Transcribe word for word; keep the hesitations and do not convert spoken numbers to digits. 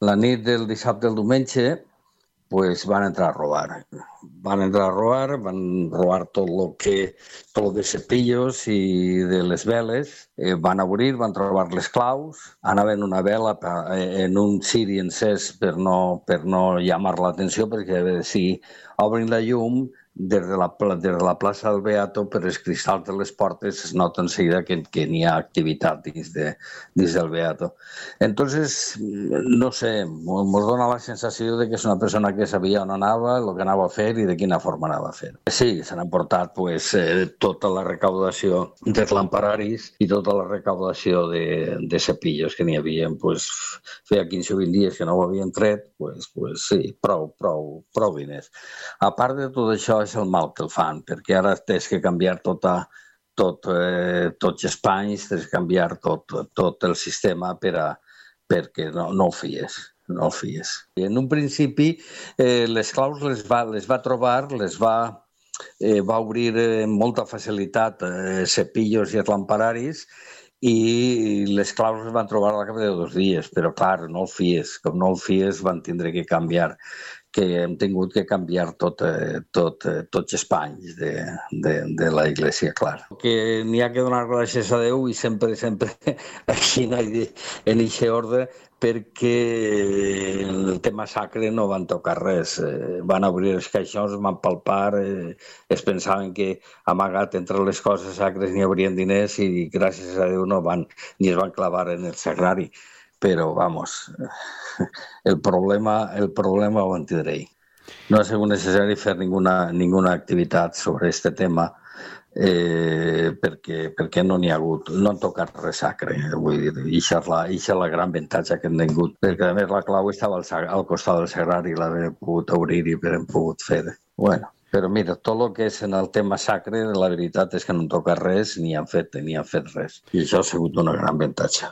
la nit del dissabte al diumenge, pues van entrar a robar. Van entrar a robar, van robar tot lo que, tot lo de cepillos i de les veles, eh, van obrir, van trobar les claus, anaven una vela en un ciri encès per no, per no llamar l'atenció, perquè si obrin la llum, des de la, des de la plaça del Beato, per els cristalls de les portes es nota en seguida que, que n'hi ha activitat dins, de, dins del Beato. Entonces, no sé, ens dona la sensació de que és una persona que sabia on anava, el que anava a fer i de quina forma anava a fer. Sí, s'han emportat pues, eh, tota la recaudació dels lampararis i tota la recaudació de, de cepillos que n'hi havia. Pues, feia quinze o vint dies que no ho havien tret, pues, pues, sí, prou, prou, prou diners. A part de tot això, és el mal que el fan, perquè ara tens que canviar tota, tot, eh, tots els panys, tens que canviar tot, tot el sistema per a, perquè no, no ho fies, no ho fies. I en un principi, eh, les claus les va, les va trobar, les va, eh, va obrir amb molta facilitat eh, cepillos i els lampararis, i les claus les van trobar al cap de dos dies, però clar, no el fies, com no el fies van tindre que canviar, que hem tingut que canviar tot, tot, tots els panys de, de, de la Iglesia, clar. Que n'hi ha que donar gràcies a Déu i sempre, sempre així en aquest ordre, perquè el tema sacre no van tocar res. Van obrir els caixons, van palpar, es pensaven que amagat entre les coses sacres n'hi haurien diners i gràcies a Déu no van, ni es van clavar en el sagrari. Però, vamos, el problema, el problema ho en tindré. No ha sigut necessari fer ninguna, ninguna activitat sobre aquest tema eh, perquè, perquè no n'hi ha hagut, no han tocat res sacre. Vull dir, això és la, això és la gran avantatge que han tingut, perquè a més la clau estava al, al costat del sagrari i l'havem pogut obrir i l'hem pogut fer. Bueno, però mira, tot el que és en el tema sacre, la veritat és que no han tocat res ni han fet, ni han fet res. I això ha sigut una gran avantatge.